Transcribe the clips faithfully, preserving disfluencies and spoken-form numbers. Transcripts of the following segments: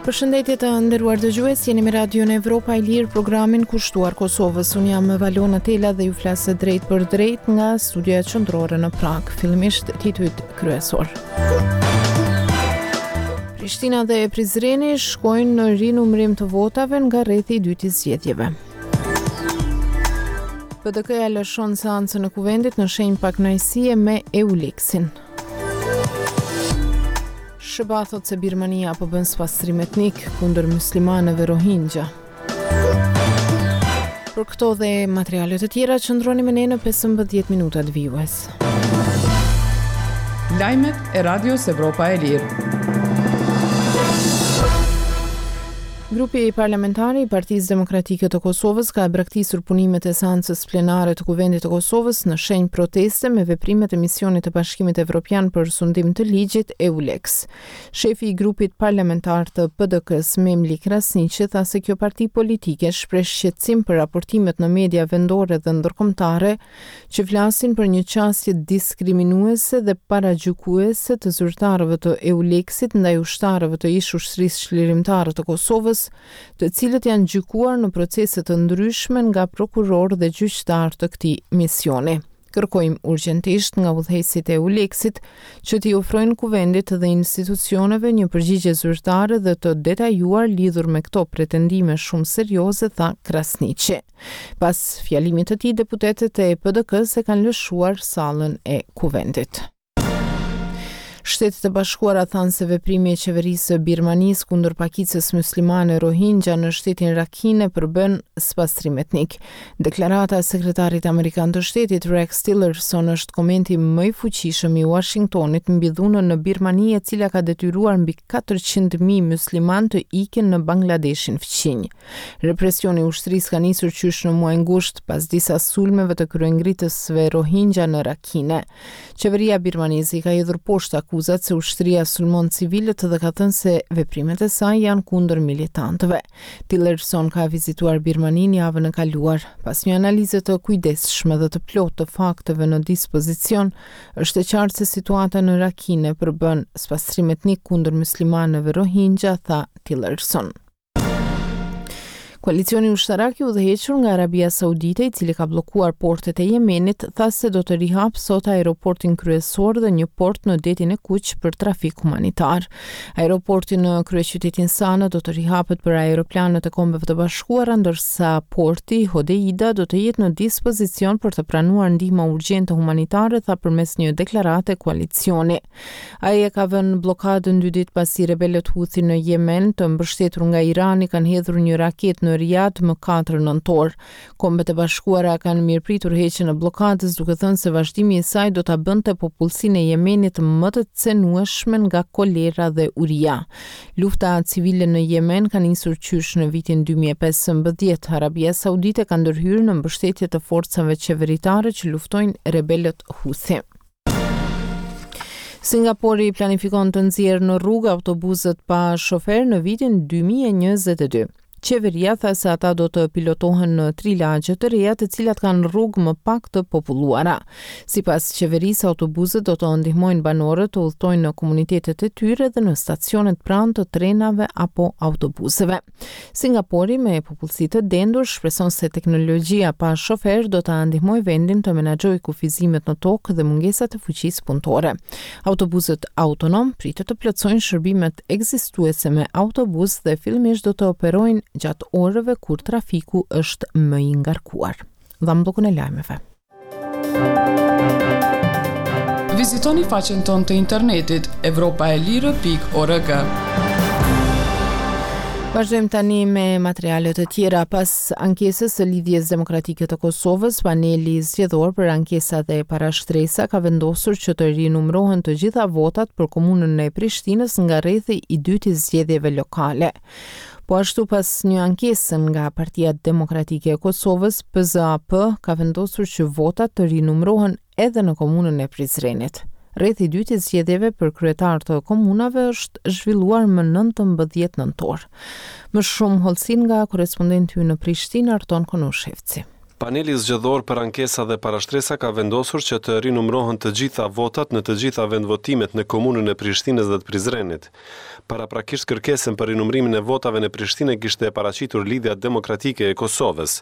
Përshëndetje të nderuar dëgjues, jeni me Radion Evropa e Lirë, programin kushtuar Kosovës. Unë jam Valona Tela dhe ju flas drejtpërdrejt nga studioja qendrore në Pragë. Fillimisht titujt kryesor. Prishtina dhe Prizreni shkojnë në rinumërim të votave nga rrethi i dytë i zgjedhjeve. P D K-ja lëshon seancën e kuvendit në shenjë pakënaqësie me EULEX-in. S H B A thot se Birmania po bën spastrim etnik kundër muslimanëve Rohingya. Për këto dhe materialet të tjera qëndroni me ne në pesëmbëdhjetë minutat vijues. Lajmet e Radios Evropa e Lirë. Grupi parlamentar i Partisë Demokratike të Kosovës ka braktisur punimet e seancës plenare të Kuvendit të Kosovës në shenjë proteste me veprimet e misionit të Bashkimit Evropian për sundim të ligjit, EULEX. Shefi i grupit parlamentar të P D K-s, Memli Krasniqi, tha se kjo parti politike shpreh shqetësim për raportimet në media vendore dhe ndërkombëtare që flasin për një qasje diskriminuese dhe paragjykuese të zyrtarëve të EULEX-it ndaj ushtarëve të ish ushtrisë çlirimtare të Kosovës, të cilët janë gjykuar në procese të ndryshme nga prokurorë dhe gjyqtarë të këtij misioni. Kërkojmë urgjentisht nga udhëheqësit e EULEX-it që t'i ofrojnë kuvendit dhe institucioneve një përgjigje zyrtare dhe të detajuar lidhur me këto pretendime shumë serioze, tha Krasniqi. Pas fjalimit të tij, deputetët e P D K-së e kanë lëshuar sallën e kuvendit. Shtetet e Bashkuara thanë se veprimi i qeverisë së Birmanisë kundër pakicës muslimane Rohingya në shtetin Rakhine përbën spastrim etnik. Deklarata e sekretarit amerikan të shtetit Rex Tillerson është komenti më i fuqishëm i Washingtonit mbi dhunën në Birmani, e cila ka detyruar mbi katërqind mijë musliman të ikin në Bangladeshin fqinj. Represioni i ushtrisë ka nisur qysh në muajin gusht pas disa sulmeve të kryengritësve Rohingya në Rakhine. Qeveria birmaneze i ka hedhur poshtë akuzat se ushtria sulmon civilët dhe ka thënë se veprimet e saj janë kundër militantëve. Tillerson ka vizituar Birmanin javën e kaluar. Pas një analize të kujdesshme dhe të plotë të fakteve në dispozicion, është e qartë se situata në Rakhine përbën spastrim etnik kundër muslimanëve Rohingya, tha Tillerson. Koalicioni ushtarak i udhëhequr nga Arabia Saudite, i cili ka bllokuar portet e Jemenit, tha se do të rihap sot aeroportin kryesor dhe një port në Detin e Kuq për trafik humanitar. Aeroporti në kryeqytetin Sana do të rihapet për aeroplanët e Kombeve të Bashkuara, ndërsa porti Hodeida do të jetë në dispozicion për të pranuar ndihma urgjente humanitare, tha përmes një deklarate koalicioni. Ai e ka vënë bllokadën dy ditë pasi rebelët Houthi në Jemen, të mbështetur nga Irani, kanë hedhur një raketë në Riyadh më katër nëntor. Kombet e Bashkuara kanë mirëpritur heqjen e bllokadës, duke thënë se vazhdimi i saj do ta bënte popullsinë e Jemenit më të cenueshme nga kolera dhe uria. Lufta civile në Jemen ka nisur qysh në vitin dy mijë e pesëmbëdhjetë. Arabia Saudite ka ndërhyrë në mbështetje të forcave qeveritare që luftojnë rebelët Houthi. Singapori planifikon të nxjerrë në rrugë autobusët pa shofer në vitin dy mijë e njëzet e dy. Qeveria tha se ata do të pilotohen në tri lagje të reja, të cilat kanë rrugë më pak të populluara. Sipas qeverisë, autobusët do të ndihmojnë banorët të udhtojnë në komunitetet e tyre dhe në stacionet pranë të trenave apo autobusëve. Singapori, me popullsi të dendur, shpreson se teknologjia pa shofer do ta ndihmojë vendin të menaxhojë kufizimet në tokë dhe mungesat e fuqisë punëtore. Autobusët autonom pritet të plotësojnë shërbimet ekzistuese me autobus dhe fillimisht do të operojnë gjatë orëve kur trafiku është më i ngarkuar. Dhamë bllokun e lajmeve. Vizitoni faqen tonë të internetit evropaelire pikë org. Vazhdojmë tani me materialet të tjera. Pas ankesës së Lidhjes Demokratike të Kosovës, paneli zgjedhor për ankesa dhe parashtresa ka vendosur që të rinumërohen të gjitha votat për komunën e Prishtinës nga rrethi i dytë i zgjedhjeve lokale. Po ashtu, pas një ankesë nga Partia Demokratike e Kosovës, P Z A P ka vendosur që votat të rinumërohen edhe në komunën e Prizrenit. Rrethi i dytë i zgjedhjeve për kryetar të komunave është zhvilluar më nëntëmbëdhjetë nëntor. Më shumë hollësi nga korrespondenti ynë në Prishtinë, Arton Konushevci. Paneli zgjedhor për ankesa dhe parashtresa ka vendosur që të rinumërohen të gjitha votat në të gjitha vendvotimet në komunën e Prishtinës dhe të Prizrenit. Paraprakisht kërkesën për rinumërimin e votave në Prishtinë kishte paraqitur Lidhja Demokratike e Kosovës,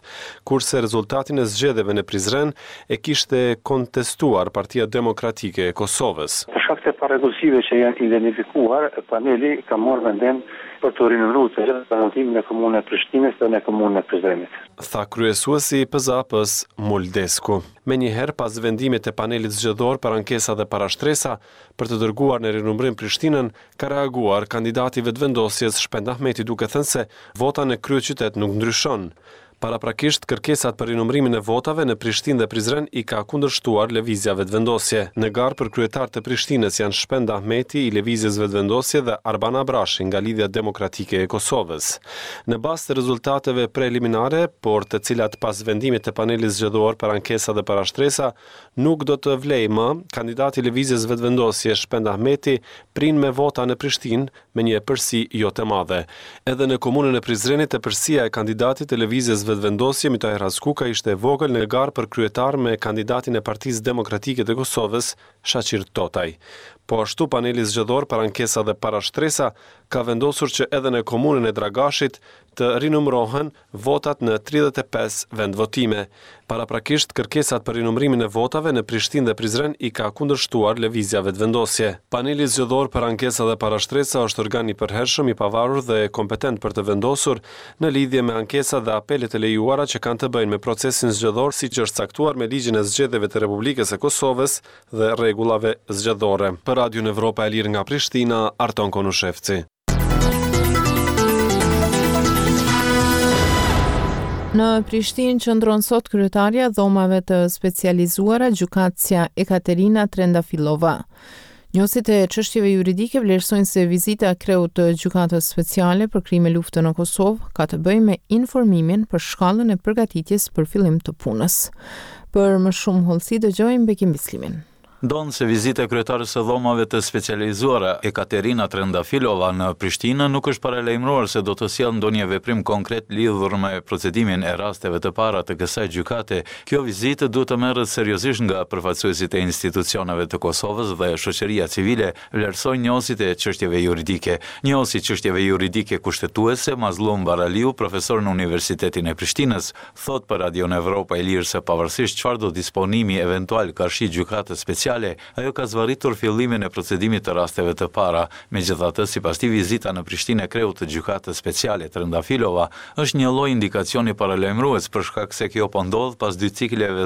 kurse rezultatin e zgjedhjeve në Prizren e kishte kontestuar Partia Demokratike e Kosovës. Për shkak të parregullsive që janë identifikuar, paneli ka marrë vendim për të rinumëruar të gjitha vendvotimet në komunën e Prishtinës dhe në komunën e Prizrenit. Tha kryesuesi i P Z A P-s Mul Desku. Menjëherë pas vendimit të panelit zgjedhor për ankesa dhe parashtresa për të dërguar në rinumërim Prishtinën, ka reaguar kandidati i Vetëvendosjes Shpend Ahmeti, duke thënë se vota në kryeqytet nuk ndryshon. Paraprakisht, kërkesat për rinumërimin e votave në Prishtinë dhe Prizren i ka kundërshtuar Lëvizja Vetëvendosje. Në garë për kryetar të Prishtinës janë Shpend Ahmeti i Lëvizjes Vetëvendosje dhe Arban Abrashi nga Lidhja Demokratike e Kosovës. Në bazë të rezultateve preliminare, por të cilat pas vendimit të panelit zgjedhor për ankesa dhe parashtresa nuk do të vlej më, kandidati i Lëvizjes Vetëvendosje Shpend Ahmeti prin me vota në Prishtinë me një epërsi jo të madhe. Edhe në komunën e Prizrenit, epërsia e kandidatit të Lëvizjes Vetëvendosje Mitahir Haskuka ishte e vogël në garë për kryetar me kandidatin e Partisë Demokratike të Kosovës, Shaqir Totaj. Po ashtu, paneli zgjedhor për ankesa dhe parashtresa ka vendosur që edhe në komunën e Dragashit të rinumërohen votat në tridhjetë e pesë vendvotime. Paraprakisht, kërkesat për rinumërimin e votave në Prishtinë dhe Prizren i ka kundërshtuar Lëvizja Vetëvendosje. Paneli zgjedhor për ankesa dhe parashtresa është organ i përhershëm, i pavarur dhe kompetent për të vendosur në lidhje me ankesat dhe apelet e lejuara që kanë të bëjnë me procesin zgjedhor, siç është caktuar me ligjin e zgjedhjeve të Republikës së Kosovës dhe rregullave zgjedhore. Për Radion Evropa e Lirë nga Prishtina, Arton Konushevci. Në Prishtinë qëndron sot kryetarja e dhomave të specializuara, gjykatësja Ekaterina Trendafilova. Njohësit e çështjeve juridike vlerësojnë se vizita e kreut të Gjykatës Speciale për krime lufte në Kosovë ka të bëjë me informimin për shkallën e përgatitjes për fillim të punës. Për më shumë hollësi dëgjojmë Bekim Bislimin. Ndonëse vizita e kryetares së dhomave të specializuara Ekaterina Trendafilova në Prishtinë nuk është paralajmëruar se do të sjellë ndonjë veprim konkret lidhur me procedimin e rasteve të para të kësaj gjykate, kjo vizitë duhet të merret seriozisht nga përfaqësuesit e institucioneve të Kosovës dhe shoqëria civile, vlerësojnë njohësit e çështjeve juridike. Njohësi i çështjeve juridike kushtetuese Mazlum Baraliu, profesor në Universitetin e Prishtinës, thot për Radion Evropa e Lirë se pavarësisht çfarë do disponimi eventual karshi gjykatës speciale, ajo ka zvarritur fillimin e procedimit të rasteve të para. Megjithatë, sipas tij, vizita në Prishtinë e kreut të gjykatës speciale Trendafilova është një lloj indikacioni paralajmërues, për shkak se kjo po ndodh pas dy cikleve